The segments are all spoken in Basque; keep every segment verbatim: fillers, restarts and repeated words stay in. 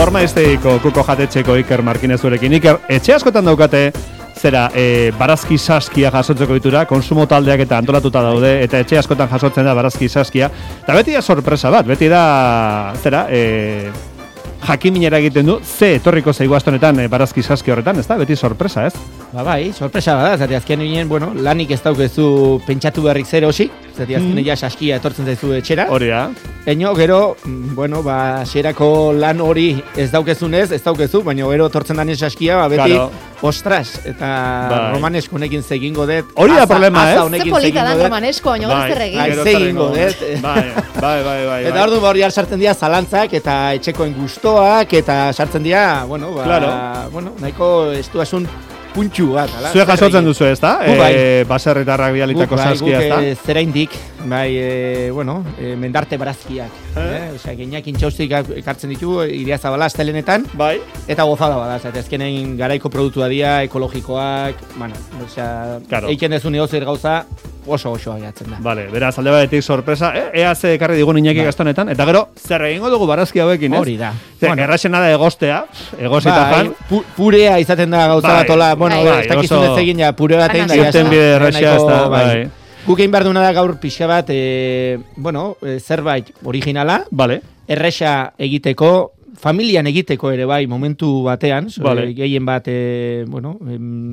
Ormaizteiko kuko jatetxeko Iker Markinezurekin. Iker, etxe askotan daukate zera, e, barazki saskia jasotzeko ditura, konsumo taldeak eta antolatuta daude, eta etxe askotan jasotzen da barazki saskia. Eta beti da sorpresa bat, beti da, zera, e, jakiminera egiten du, ze etorriko zaigu astonetan e, barazki saski horretan, ez da? Beti sorpresa, ez? Ba bai, sorpresa bada, zati azken ginen, bueno, lanik ez daukezu pentsatu beharrik zer hosi, zati azken mm. ja saskia etortzen zaizu etxera. Hori da. Eño, gero, bueno, ba, xerako lan hori ez daukezunez, ez daukezu, baina gero tortzen danen saskia, ba, beti, claro. Ostras, eta bai. Romanesko honekin zegingo dut. Hori da problema, ez? Ze polita dan romanesko, baina gara zer egin. Bai, zegingo dut. Bai, bai, bai, bai. Eta ordu hori sartzen dira zalantzak, eta etxekoen gustoak, eta sartzen dira, bueno, ba, claro. bueno, nahiko estuasun puntxu bat, ala? Zue jasotzen duzu, ez da? E, bai. Baserritarrak bialitako saskia, ez da? Guk, bai, zera indik, bai, e, bueno, e, mendarte barazkiak. Eh? Eh? Osea, geniak intxaustik ekartzen ditu, iria zabala, astelenetan. Bai. Eta gozada bada, zate, ezkenen garaiko produktua dira, ekologikoak, bueno, osea, claro. Eiken dezun egozer gauza, oso oso agiatzen da. Vale, beraz, alde batetik sorpresa, eh, ea ze ekarri digun Iñaki ba. Gastonetan, eta gero, zer egingo dugu barazki hauekin, ez? Hori da. Zer, bueno. Erraxena da egostea, egosita ba, fan. Pu purea izaten da gauza bat, ola, bueno, bai, ez dakizun ez egin ja, pure bat egin da. Zerten bide erraxea ez da, bai. Guk egin behar duna da gaur pixka bat, e, bueno, e, zerbait originala, vale. Erraxa egiteko, familian egiteko ere bai, momentu batean, vale. Gehien bat, e, bueno, em,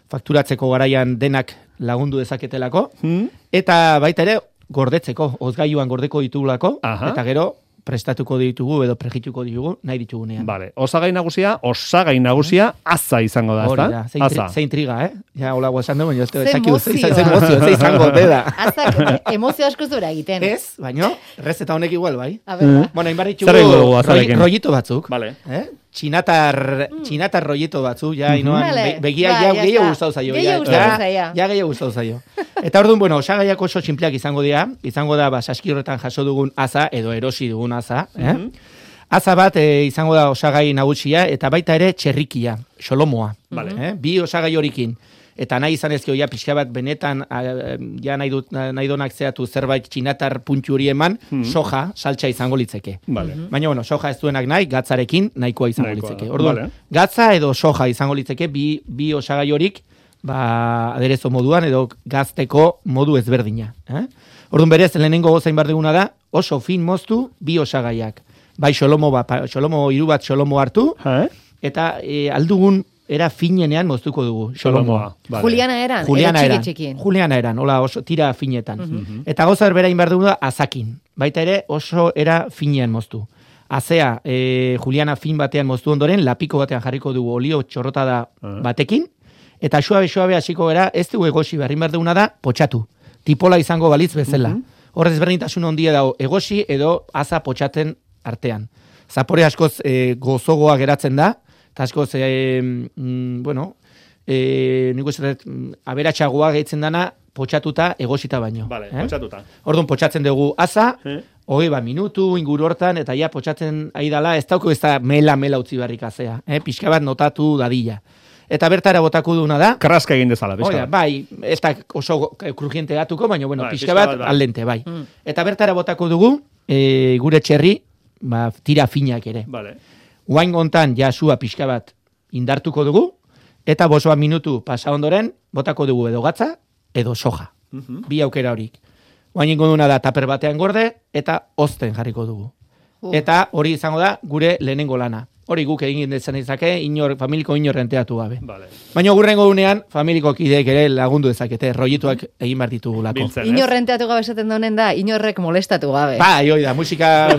fakturatzeko garaian denak lagundu dezaketelako, hmm. eta baita ere gordetzeko, ozgailuan gordeko ditugulako, aha. Eta gero prestatuko ditugu edo prejituko ditugu nahi ditugunean. Vale, osagai nagusia, osagai nagusia aza izango da, hori da, ze intriga, eh? Ja, hola guazan du, baina ez ze emozio, ze izango deda. Azak, emozio asko zura egiten. Ez, baina, rezeta honek igual, bai. A ver, mm. Bueno, inbar ditugu rollito batzuk. Vale. Eh? Txinatar, mm. txinatar rollito batzu, ja, inoan, vale. be, begiak ja, gehiago gustau zaio. Gehiago gustau zaio. Ja, gehiago gustau zaio. Eta orduan, bueno, osagaiak oso txinpleak izango dira, izango da, ba, saski horretan jaso dugun aza, edo erosi dugun aza, eh? Mm -hmm. Aza bat e, izango da osagai nagusia, eta baita ere txerrikia, xolomoa. Vale. Eh? Bi osagai horikin. Eta nahi izan ezkio, ja, pixka bat benetan, a, ja, nahi, dut, nahi donak zeatu zerbait txinatar puntxu hori eman, mm. soja, saltsa izango litzeke. Vale. Baina, bueno, soja ez duenak nahi, gatzarekin nahikoa izango nahikoa. Litzeke. Orduan, vale. Gatza edo soja izango litzeke, bi, bi osagai horik, ba, aderezo moduan, edo gazteko modu ezberdina. Eh? Orduan, berez, lehenengo gozain bar duguna da, oso fin moztu, bi osagaiak. Bai, xolomo, ba, xolomo, iru bat xolomo hartu, eh? Eta e, aldugun, era finenean moztuko dugu, xolomoa. Vale. Juliana eran, Juliana eran, txiki Juliana eran, hola, oso tira finetan. Uh-huh. Eta gauza berbera inbar dugu da, azakin. Baita ere, oso era finean moztu. Azea, e, Juliana fin batean moztu ondoren, lapiko batean jarriko dugu olio txorrotada uh-huh. batekin, eta suabe-suabe hasiko gara, ez dugu egosi behar inbar duguna da, potxatu. Tipola izango balitz bezala. Uh-huh. Horrez berdintasun ondia dago, egosi edo aza potxaten artean. Zapore askoz e, gozogoa geratzen da, eta askoz, e, mm, bueno, e, niko zerret, aberatxagoa gehitzen dana, potxatuta egosita baino. Vale, eh? potxatuta. Orduan, potxatzen dugu aza, eh? hogei bat minutu, inguru hortan, eta ja, potxatzen ari dala, ez dauko ez da mela-mela utzi barrik azea. Eh? Pixka bat notatu dadila. Eta bertara botako duna da. Karraska egin dezala, pixka bat. Bai, ez da oso krujiente gatuko, baina, bueno, bai, pixka bat, bat aldente, bai. Mm. Eta bertara botako dugu, e, gure txerri, ba, tira finak ere. Vale. Uain gontan jasua pixka bat indartuko dugu, eta bosoa minutu pasa ondoren, botako dugu edo gatza, edo soja. Uh-huh. Bi aukera horik. Uain ingo duna da taper batean gorde, eta ozten jarriko dugu. Uh. Eta hori izango da gure lehenengo lana. Hori guk egin dezen izake, inor, familiko inor renteatu gabe. Vale. Baina gurrengo dunean, familiko kideek ere lagundu dezakete, rollituak egin behar ditugulako. Inor renteatu gabe esaten daunen da, inorrek molestatu gabe. Ba, joi da, musika,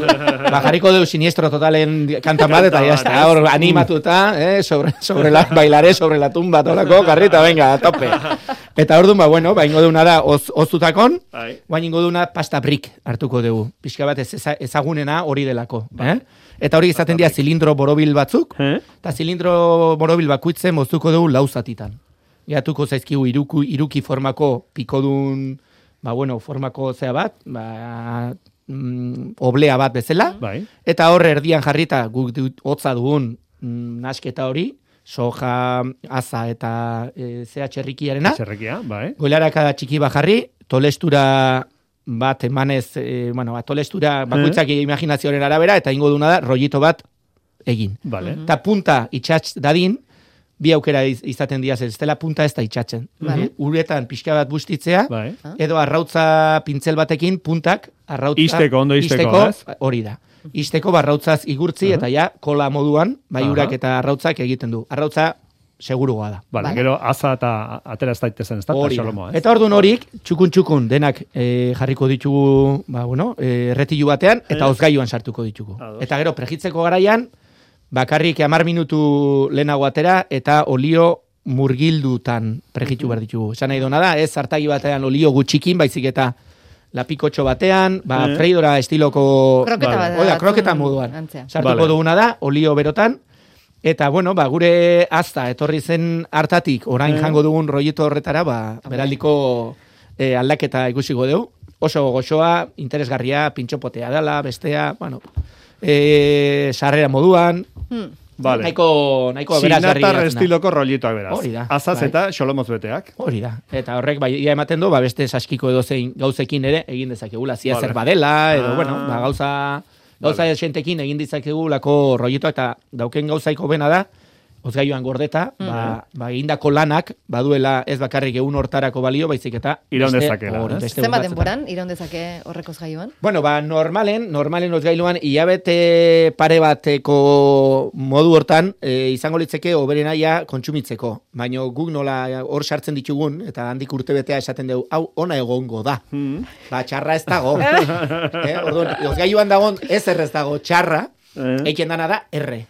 bajariko dugu siniestro totalen kantan bat, eta jazta, hor animatuta, eh, sobre, sobre la, bailare, sobre la tumba, tolako, karrita, venga, tope. Eta hor ba, bueno, ba, ingo duna da, oz, oztutakon, baina ingo duna pasta brick hartuko dugu. Pixka bat ez, ezagunena hori delako, eh? Eta hori izaten dira zilindro borobil batzuk, eta eh? zilindro borobil bakuitzen moztuko dugu lauzatitan. Gehatuko zaizkigu iruku, iruki formako pikodun, ba bueno, formako zea bat, ba, mm, oblea bat bezala, bai. Eta hor erdian jarrita guk hotza dugun mm, nasketa hori, soja, aza eta e, zea txerrikiarena. Txerrikia, bai. Goilarakada txiki bajarri, tolestura bat emanez, e, bueno, bat tolestura bakoitzak eh? imaginazioaren arabera, eta ingo duna da, rollito bat egin. Vale. Eta punta itxatz dadin, bi aukera iz, izaten diaz, ez dela punta ez da itxatzen. Vale. Uretan pixka bat bustitzea, Bai. edo arrautza pintzel batekin puntak arrautza Isteko, ondo isteko, ez? hori da. Isteko barrautzaz igurtzi eta ja kola moduan bai Aha. urak eta arrautzak egiten du. Arrautza segurugoa da. Vale, Vale. gero aza eta atera ez daitezen, ez da? Hori da. Xolomoa, ez? Eta orduan horik, txukun txukun denak e, jarriko ditugu, ba, bueno, e, erretilu batean, eta Eh. ozgailuan sartuko ditugu. Ados. Eta gero pregitzeko garaian, bakarrik hamar minutu lehenago atera, eta olio murgildutan pregitu behar ditugu. Esan nahi dona da, ez zartagi batean olio gutxikin, baizik eta lapikotxo batean, ba, Eh. freidora estiloko... Kroketa Vale. bat. Oida, batzun kroketa moduan. antzea. Sartuko Vale. duguna da, olio berotan, eta, bueno, ba, gure azta, etorri zen hartatik, orain Eh. jango dugun roieto horretara, ba, beraldiko eh, aldaketa ikusiko dugu. Oso goxoa, interesgarria, pintxopotea dela, bestea, bueno, eh, sarrera moduan, Hmm. Vale. nahiko, nahiko aberasgarria. Txinatar geratzen da. estiloko rolitoak beraz. Hori da, Azaz bai. eta xolomoz beteak. Hori da. Eta horrek bai ia ematen du, ba, beste saskiko edozein gauzekin ere egin dezakegula. Zia Vale. zer badela, edo, Ah. bueno, ba, gauza, gauza Vale. esentekin egin ditzakegulako roietoa, eta dauken gauzaiko bena da, ozgailuan gordeta, ba, ba, egindako lanak, baduela ez bakarrik egun hortarako balio, baizik eta Iraun beste- dezakela, hori, ez? beste Zenbat egun batzuetan. denboran, iraun dezake horrekoz gaioan? Bueno, ba, normalen, normalen ozgailuan, hilabete pare bateko modu hortan, e, izango litzeke oberena ja kontsumitzeko. Baina guk nola hor sartzen ditugun, eta handik urtebetea esaten dugu, hau ona egongo da. Mm. Ba, txarra ez dago. eh, orduan, ozgailuan dagoen ez errez dago txarra, Eh. eiken dana da erre.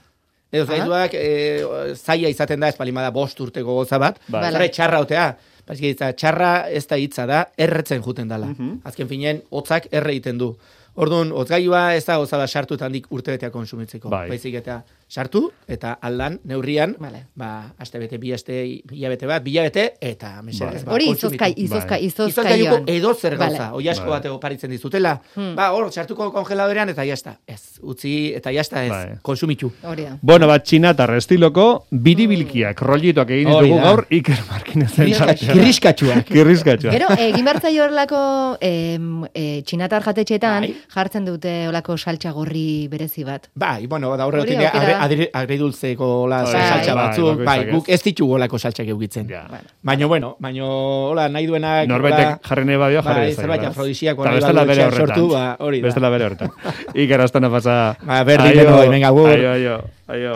Edo ozgailuak e, zaila izaten da, espalimada bost urteko goza bat, Bai. zara txarra otea. Baina hitza, txarra ez da hitza da, erretzen juten dela. Mhm. Azken finean, hotzak erre egiten du. Orduan, hotzgailua ez da goza bat sartu eta handik urtebetea konsumitzeko. Bai. Baizik eta sartu, eta aldan, neurrian, Vale. ba, aste bete, bi aste, hilabete bat, bilabete, eta mesedez, ba, Hori kontsumitu. izozkai, izozka, Bai. Izozgailuko izozkaioan. edo zer Vale. gauza, oi asko Vale. bat oparitzen dizutela. Hmm. Ba, hor, sartuko kongeladorean eta jazta. Ez, utzi eta jazta ez, Bai. konsumitu. Hori da. Bueno, bat txinatar estiloko biribilkiak, rollitoak egin Hori ditugu da. gaur Iker Markinezen Kirriska- Kirriskatxuak. Kirriskatxua. Gero, egin bertzaio horrelako em, e, txinatar jatetxeetan Bai. jartzen dute olako saltxa gorri berezi bat. Bai, bueno, da horre Hori dute aukera da. agre, agridultzeko la Bai, saltxa bai, batzuk, bai, bakoitzak ez. guk ez ditugu olako saltxak eukitzen. Ja. Baina, bueno, baina, hola, nahi duenak... Norbaitek jarri nahi badio, jarri bai, dezake, zerbait beraz. afrodisiako Eta nahi bestela badu bere etxean horretan. sortu, ba, hori da. Bestela bere horretan. Iker astana pasa. Ba, berdin denoi, venga, agur. Aio, aio, aio.